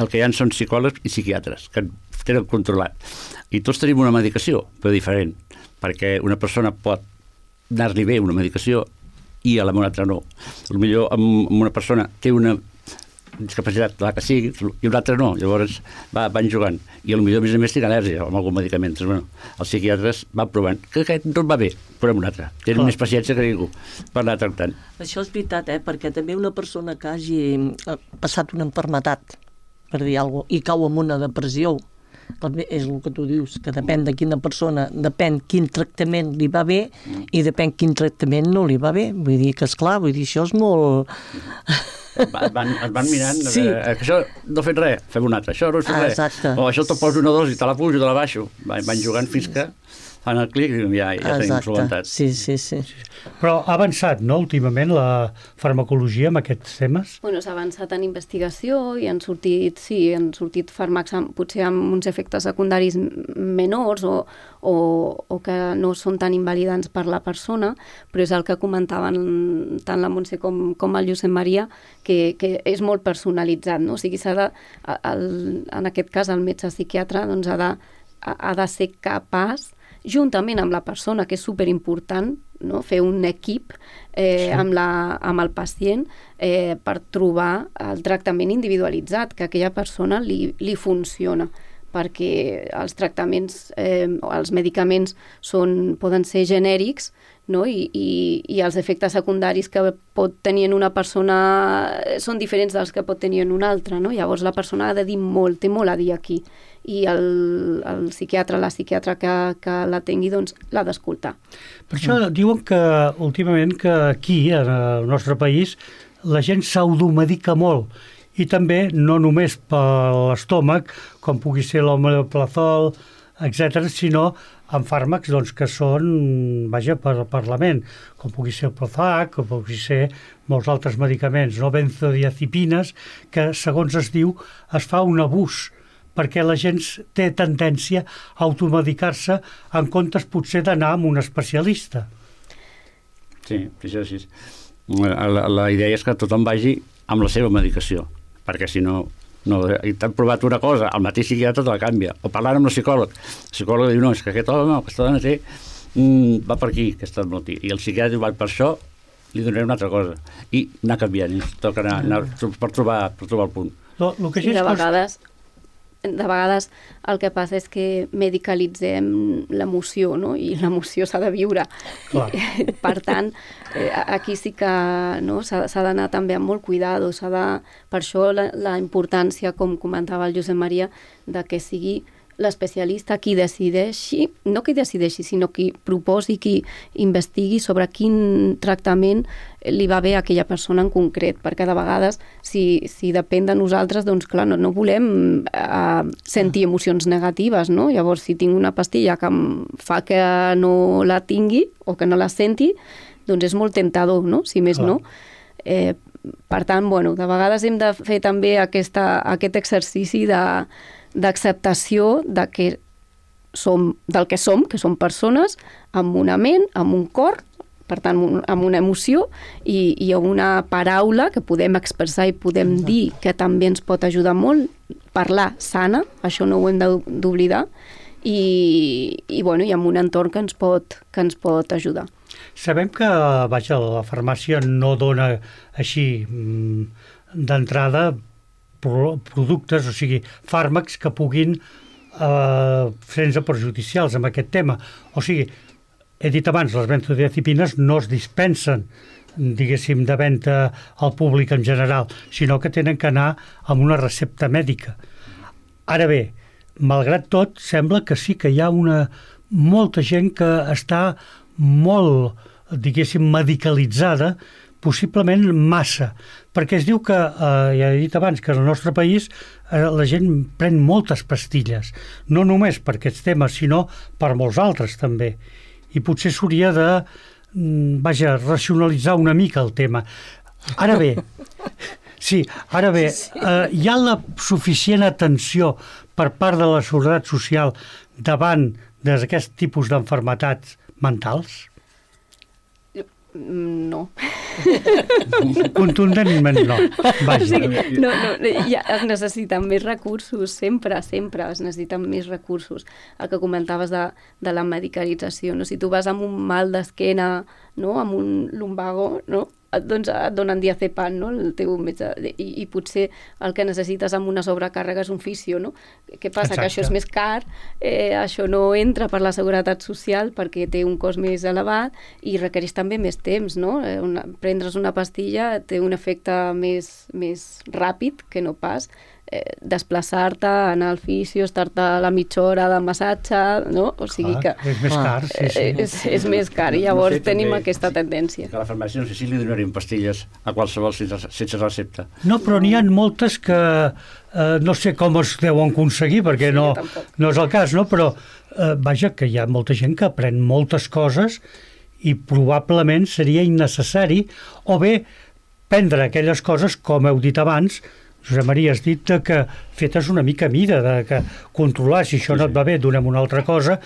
el que hi ha són psicòlegs i psiquiatres que tenen controlat. I tots tenim una medicació, però diferent, perquè una persona pot anar-li bé una medicació i a la altra no. Potser amb una persona té una discapacitat, la que sigui, i una altra no. Llavors va, van jugant. I potser, a més a més, té al·lèrgia amb algun medicament. Bueno, els psiquiatres van provant que aquest no va bé, però amb un altre. Tenen Clar. més paciència que ningú per anar tractant. Això és veritat, eh? Perquè també una persona que hagi passat una enfermetat, per dir alguna cosa, i cau en una depressió, és el que tu dius, que depèn de quina persona, depèn quin tractament li va bé i depèn quin tractament no li va bé. Vull dir que, esclar, vull dir, això és molt... Es van, es van mirant, sí. eh, que això no he fet res, fem un altre, això no he fet res. Exacte. O això te poso una dosi, te la pujo, te la baixo. Van, van jugant fins que fan el clic i ja, ja tenim solventat. Sí, sí, sí. Però ha avançat, no?, últimament la farmacologia amb aquests temes? Bueno, s'ha avançat en investigació i han sortit, sí, han sortit fàrmacs amb, potser amb uns efectes secundaris menors o, o, o que no són tan invalidants per la persona, però és el que comentaven tant la Montse com, com el Josep Maria, que, que és molt personalitzat, no? O sigui, s'ha de, el, en aquest cas el metge psiquiatre doncs ha de, ha de ser capaç, juntament amb la persona, que és superimportant, no? Fer un equip eh, sí. amb, la, amb el pacient eh, per trobar el tractament individualitzat, que a aquella persona li, li funciona, perquè els tractaments, eh, els medicaments són, poden ser genèrics, no? I, i, i els efectes secundaris que pot tenir en una persona són diferents dels que pot tenir en una altra, no? Llavors la persona ha de dir molt, té molt a dir aquí, i el, el psiquiatre, la psiquiatra que, que la tingui, doncs l'ha d'escoltar. Per això mm. diuen que últimament que aquí, en el nostre país, la gent s'automedica molt, i també no només per l'estómac, com pugui ser l'omeprazol, etcètera, sinó amb fàrmacs doncs, que són, vaja, per, per la ment, com pugui ser el Prozac, com pugui ser molts altres medicaments, no benzodiazepines, que, segons es diu, es fa un abús, perquè la gent té tendència a automedicar-se en comptes potser d'anar amb un especialista. Sí, això sí. La, la idea és que tothom vagi amb la seva medicació, perquè si no, no t'han provat una cosa, el mateix psiquiatre te la canvia, o parlant amb el psicòleg, el psicòleg diu, no, és que aquest home, aquesta dona té, mm, va per aquí, aquesta malaltia, i el psiquiatre diu, va per això, li donaré una altra cosa, i anar canviant, i toca anar, anar per, trobar, per trobar el punt. Lo, lo que sí, de vegades... de vegades el que passa és que medicalitzem l'emoció, no? I l'emoció s'ha de viure. Clar. Per tant, eh, aquí sí que no? s'ha d'anar també amb molt cuidado. De, per això la, la importància, com comentava el Josep Maria, de que sigui l'especialista qui decideixi, no qui decideixi, sinó qui proposi, qui investigui sobre quin tractament li va bé a aquella persona en concret, perquè de vegades, si, si depèn de nosaltres, doncs clar, no, no volem eh, sentir emocions negatives, no? Llavors, si tinc una pastilla que em fa que no la tingui o que no la senti, doncs és molt tentador, no? Si més clar. No. Eh, per tant, bueno, de vegades hem de fer també aquesta, aquest exercici de d'acceptació de que som, del que som, que som persones, amb una ment, amb un cor, per tant, amb una emoció i, i una paraula que podem expressar i podem dir que també ens pot ajudar molt, parlar sana, això no ho hem d'oblidar, i, i, bueno, i amb un entorn que ens pot, que ens pot ajudar. Sabem que, vaja, la farmàcia no dona així d'entrada productes, o sigui, fàrmacs que puguin eh, fer-nos perjudicials amb aquest tema. O sigui, he dit abans, les benzodiazepines no es dispensen diguéssim, de venda al públic en general, sinó que tenen que anar amb una recepta mèdica. Ara bé, malgrat tot, sembla que sí que hi ha una molta gent que està molt, diguéssim, medicalitzada, possiblement massa, perquè es diu que, eh, ja he dit abans, que al nostre país eh, la gent pren moltes pastilles, no només per aquests temes, sinó per molts altres també. I potser s'hauria de, vaja, racionalitzar una mica el tema. Ara bé, sí, ara bé, eh, hi ha la suficient atenció per part de la Seguretat Social davant d'aquest tipus d'enfermetats mentals? No. Contundentment no. Vaja. Sí, no, no, ja es necessiten més recursos, sempre, sempre es necessiten més recursos. El que comentaves de, de la medicalització, no? Si tu vas amb un mal d'esquena, no? Amb un lumbago, no? Doncs et donen diazepam, no? El teu metge, i, i potser el que necessites amb una sobrecàrrega és un fisio, no? Què passa? Exacte. Que això és més car, eh, això no entra per la Seguretat Social perquè té un cost més elevat i requereix també més temps, no? Eh, una, prendre's una pastilla té un efecte més, més ràpid que no pas eh, desplaçar-te, anar al fisio, estar-te la mitja hora de massatge, no? O sigui Clar, que... és més car, sí, sí. Eh, és, és més car i llavors no sé, tenim també, aquesta tendència. Que a la farmàcia no sé si li donarien pastilles a qualsevol sense, sense recepta. No, però n'hi ha moltes que eh, no sé com es deuen aconseguir, perquè Sí, no, jo tampoc. no és el cas, no? Però eh, vaja, que hi ha molta gent que pren moltes coses i probablement seria innecessari, o bé prendre aquelles coses, com heu dit abans, Josep Maria, has dit que fetes una mica a mida, de que controlar, si això no et va bé, donem una altra cosa,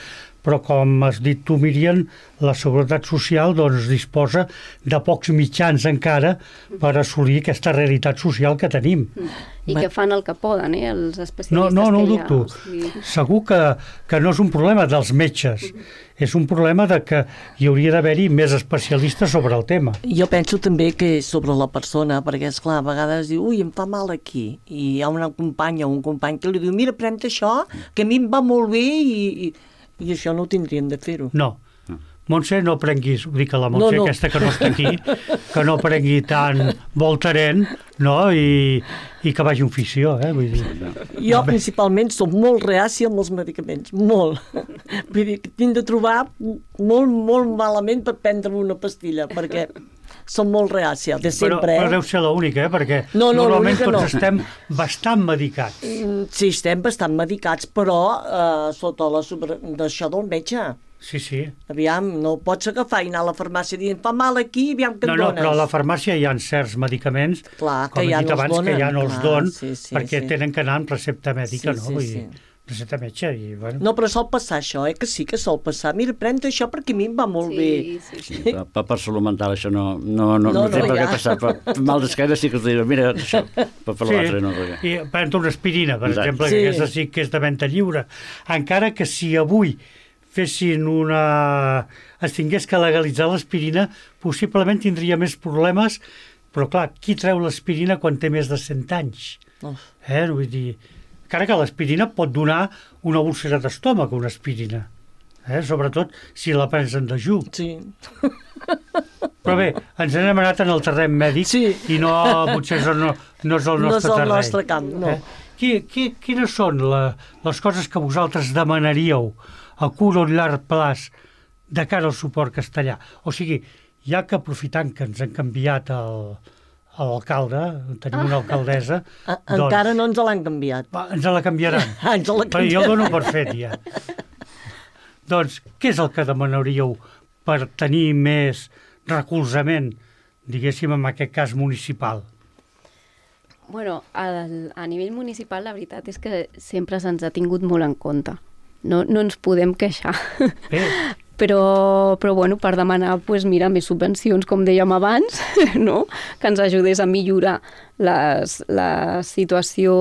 però com has dit tu, Míriam, la Seguretat Social doncs, disposa de pocs mitjans encara per assolir aquesta realitat social que tenim. I que fan el que poden, eh, els especialistes. No, no, no ho que hi ha, dubto. o sigui... Segur que, que no és un problema dels metges, és un problema de que hi hauria d'haver-hi més especialistes sobre el tema. Jo penso també que és sobre la persona, perquè, esclar, a vegades diu, ui, em fa mal aquí, i hi ha una companya o un company que li diu, mira, pren això, que a mi em va molt bé, i, i, i això no ho tindrien de fer-ho. No. Montse, no prenguis, ho dic a la Montse, No, no. aquesta que no està aquí, que no prengui tant Voltaren, no? I, i que vagi a un fisio, eh? Vull dir. Jo principalment soc molt reàcia amb els medicaments, molt. Vull dir que tinc de trobar molt, molt malament per prendre una pastilla, perquè som molt reàcia, de Però, sempre, però eh? deu ser l'única, eh? Perquè No, no, normalment l'única tots no. estem bastant medicats. Mm, Sí, estem bastant medicats, però eh, sota la sobre... d'això del metge. Sí, sí. Aviam, no pots agafar i anar a la farmàcia dient, fa mal aquí, aviam que No, et no, dones. però a la farmàcia hi ha certs medicaments, Clar, que com he ja dit no els abans, que donen. ja no els Clar, don, sí, sí, perquè sí. tenen que anar amb recepta mèdica, Sí, no? sí, Vull sí. dir, recepta metge i, bueno... No, però sol passar això, eh? Que sí que sol passar. Mira, pren això perquè a mi em va molt bé. Sí, sí, sí. Per, per, per salut mental això no, no, no, no, No, no té no, per què ja. passar. Per, per mal d'esquena sí que us diuen, mira, això, per, per l'altre no. Perquè... i prendre una aspirina, per Exacte. exemple, Sí. que aquesta sí que és de venda lliure. Encara que si avui fessin una... es tingués que legalitzar l'aspirina, possiblement tindria més problemes, però clar, qui treu l'aspirina quan té més de cent anys? Uf. Eh? Vull dir, encara que l'aspirina pot donar una úlcera d'estómac, una aspirina. Eh? Sobretot si la prens en dejú. Sí. Però bé, ens n'hem anat en el terreny mèdic Sí. i no, potser això no, no és el No és nostre el terreny. nostre camp, no. Eh? Qui, qui, quines són la, les coses que vosaltres demanaríeu a curt o llarg plaç de cara al suport castellà? O sigui, ja que aprofitant que ens han canviat el, l'alcalde, tenim una alcaldessa, A, encara no ens l'han canviat. va, ens la canviaran. Ah, ens la Però jo canviaran. el dono per fet, ja. Doncs, què és el que demanaríeu per tenir més recolzament, diguéssim, en aquest cas municipal? Bueno, al, a nivell municipal la veritat és que sempre se'ns ha tingut molt en compte. No, no ens podem queixar. Bé, Però, però bueno, per demanar pues, mira, més subvencions, com dèiem abans, no? Que ens ajudés a millorar les, la situació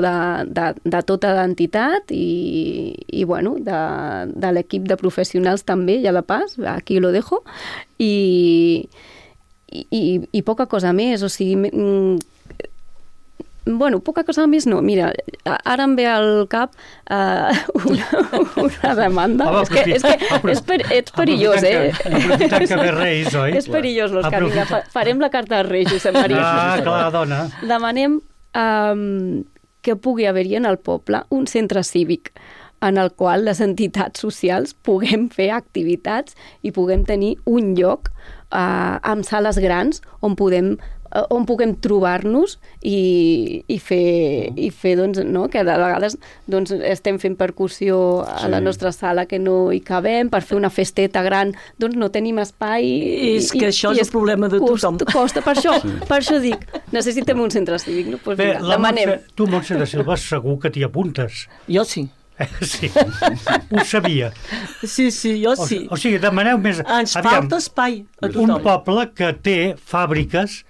de, de, de tota l'entitat i, i bueno, de, de l'equip de professionals també, ja de pas, aquí lo dejo, i, i, i poca cosa més, o sigui, bueno, poca cosa més no. Mira, ara em ve al cap uh, una, una demanda. Home, és que, és, que és, per, ets perillós, eh? Aprofitant que ve Reis, oi? És perillós, l'Òscar. Vinga, fa, farem la carta als Reis, Josep Maria. Ah, clar, dona. Demanem um, que pugui haver-hi en el poble un centre cívic en el qual les entitats socials puguem fer activitats i puguem tenir un lloc uh, amb sales grans on podem on puguem trobar-nos i, i fer, i fer doncs, no? Que de vegades doncs, estem fent percussió a sí. la nostra sala que no hi cabem, per fer una festeta gran doncs no tenim espai. I és que i, això i és el problema de tothom. Costa, costa. Per, això, sí. per això dic, necessitem un centre cívic. No? Pues, Bé, mira, demanem. Montse, tu, Montse de Silva, segur que t'hi apuntes. Jo sí. Sí, ho sabia. Sí, sí, jo sí. O, o sigui, demaneu més... Ens Aviam, falta espai a tothom. Un poble que té fàbriques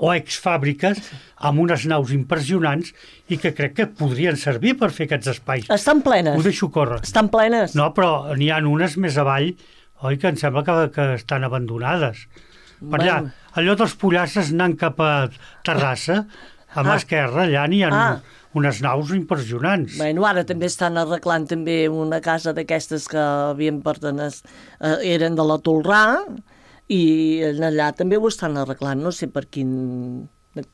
o exfàbriques amb unes naus impressionants i que crec que podrien servir per fer aquests espais. Estan plenes. Ho deixo córrer. Estan plenes. No, però n'hi ha unes més avall, oi, que em sembla que, que estan abandonades. Per allà, bueno. Allò dels pollasses anant cap a Terrassa, a mà ah. esquerra, allà n'hi ha ah. unes naus impressionants. Bueno, ara també estan arreglant també una casa d'aquestes que havien pertenès, eh, eren de la Tolrà, i allà també ho estan arreglant. No sé per quin,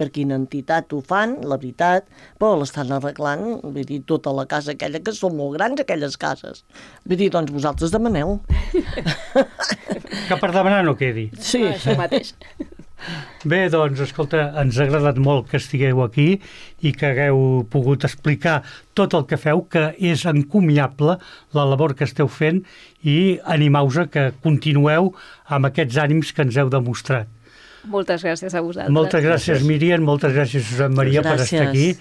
per quina entitat ho fan, la veritat, però l'estan arreglant, vull dir, tota la casa aquella, que són molt grans aquelles cases. Vull dir, doncs vosaltres demaneu. Que per demanar no quedi. Sí. Ah, això mateix. Bé, doncs, escolta, ens ha agradat molt que estigueu aquí i que hagueu pogut explicar tot el que feu, que és encomiable la labor que esteu fent, i animau-vos a que continueu amb aquests ànims que ens heu demostrat. Moltes gràcies a vosaltres. Moltes gràcies, Míriam, moltes gràcies, Josep Maria, per estar aquí.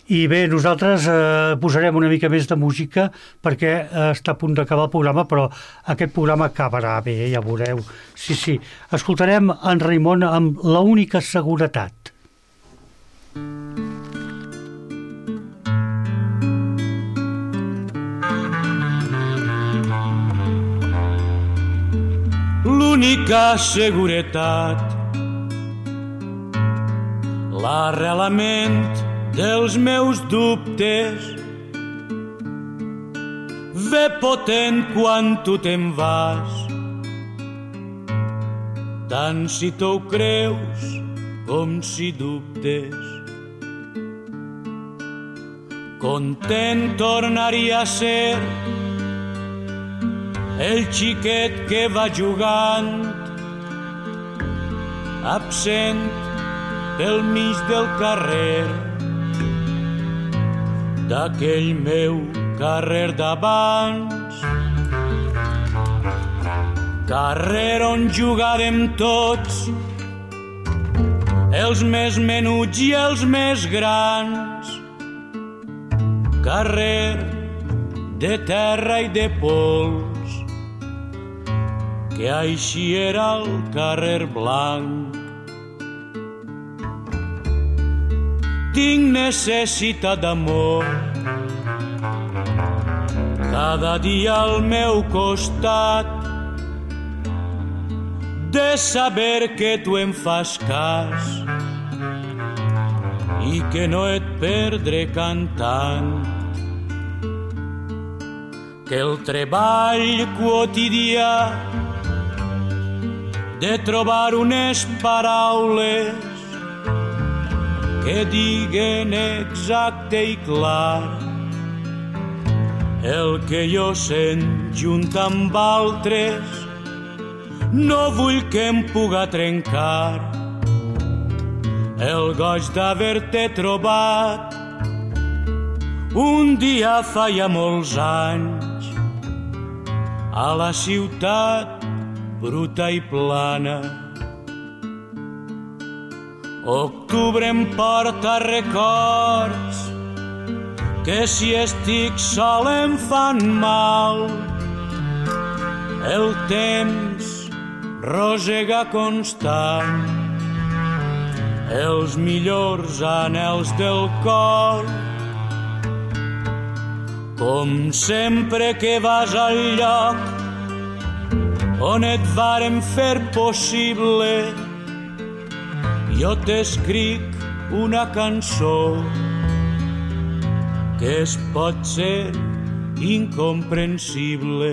I bé, nosaltres eh, posarem una mica més de música perquè eh, està a punt d'acabar el programa, però aquest programa acabarà bé, ja veureu. Sí, sí. Escoltarem en Raimon amb La única seguretat. L'única seguretat, l'arrelament dels meus dubtes, ve potent quan tu te'n vas, tant si tu ho creus com si dubtes. Content tornaria a ser el xiquet que va jugant, absent pel mig del carrer, d'aquell meu carrer d'abans, carrer on jugàvem tots, els més menuts i els més grans, carrer de terra i de pols, que així era el carrer blanc. Tinc necessitat d'amor, cada dia al meu costat, de saber que tu em fas cas i que no et perdré cantant, que el treball quotidià de trobar unes paraules que diguen exacte i clar el que jo sent junt amb altres, no vull que em puga trencar el goig d'haver-te trobat un dia fa ja molts anys a la ciutat bruta i plana. Octubre em porta records que si estic sol em fan mal. El temps rosega constant els millors anhels del cor. Com sempre que vas al lloc on et vàrem fer possible, jo t'escric una cançó que es pot ser incomprensible.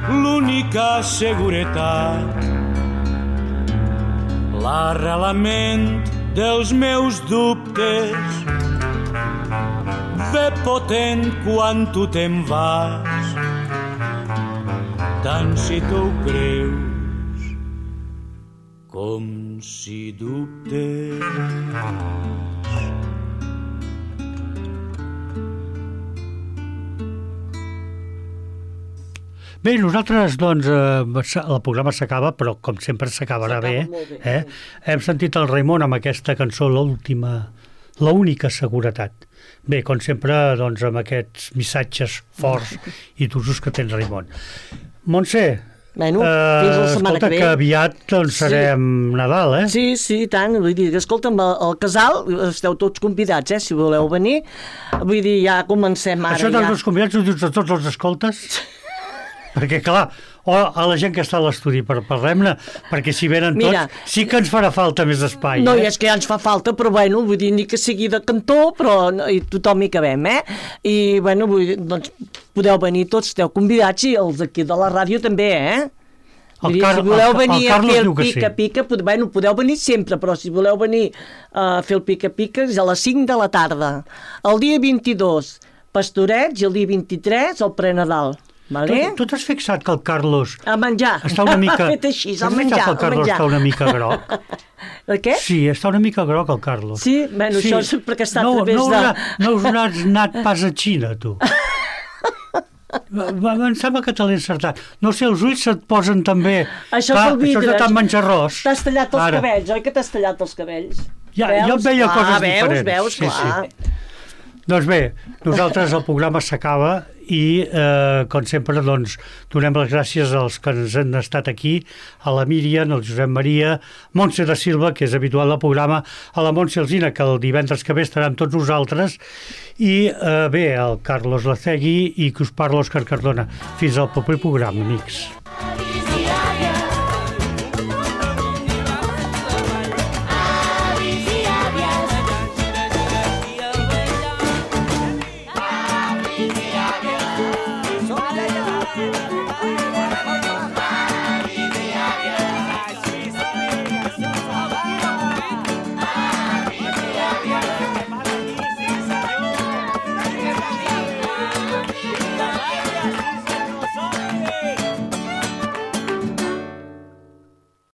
L'única seguretat, l'arrelament dels meus dubtes, ve potent quan tu te'n vas, tant si tu ho creus com si dubtes. Bé, nosaltres, doncs, eh, el programa s'acaba, però com sempre s'acabarà bé. bé. Eh? Hem sentit el Raimon amb aquesta cançó, l'última, l'única seguretat. Bé, com sempre, doncs, amb aquests missatges forts i d'usos que tens, Raimon. Montse, Bueno, fins la setmana escolta, que ve. que aviat doncs, serem sí. Nadal, eh? Sí, sí, i tant. Vull dir, escolta'm, al casal esteu tots convidats, eh, si voleu venir. Vull dir, ja comencem ara. Això dels ja. Convidats ho dius a tots els escoltes? Perquè, clar, o a la gent que està a l'estudi, per parlem-ne, perquè si venen Mira, tots, sí que ens farà falta més espai. No, eh? i és que ja ens fa falta, però bueno, vull dir, ni que sigui de cantó, però no, i tothom hi cabem, eh? I, bueno, vull dir, doncs, podeu venir tots, esteu convidats, i els d'aquí de la ràdio també, eh? El dir, Car si voleu el, venir el a Carlos fer el diu que pica-pica, sí. pod bueno, podeu venir sempre, però si voleu venir a fer el pica-pica és a les cinc de la tarda. El dia vint-i-dos, Pastorets, i el dia vint-i-tres, el Prenadal. Vale? Tu, tu t'has fixat que el Carlos a menjar. està una mica... Ha fet així, a T'has menjar, fixat que el a Carlos menjar. està una mica groc? De què? Sí, està una mica groc el Carlos. Sí? Bueno, sí. Això és perquè està no, a través no de... Haurà, no us n'has anat pas a Xina, tu. Em sembla que te l'he encertat. No sé, els ulls se't posen també... Això Clar, pel vidre. Això és de tant menjar arròs. T'has tallat els Ara. cabells, oi que t'has tallat els cabells? Ja, veus? jo veia clar, coses veus, diferents. Veus, sí, clar. sí. Doncs bé, nosaltres el programa s'acaba i, eh, com sempre, doncs, donem les gràcies als que ens han estat aquí, a la Míriam, al Josep Maria, Montse da Silva, que és habitual del programa, a la Montse Alsina, que el divendres que ve estarà amb tots nosaltres, i eh, bé, el Carlos Lacegui i que us parla Òscar Cardona. Fins al proper programa, amics.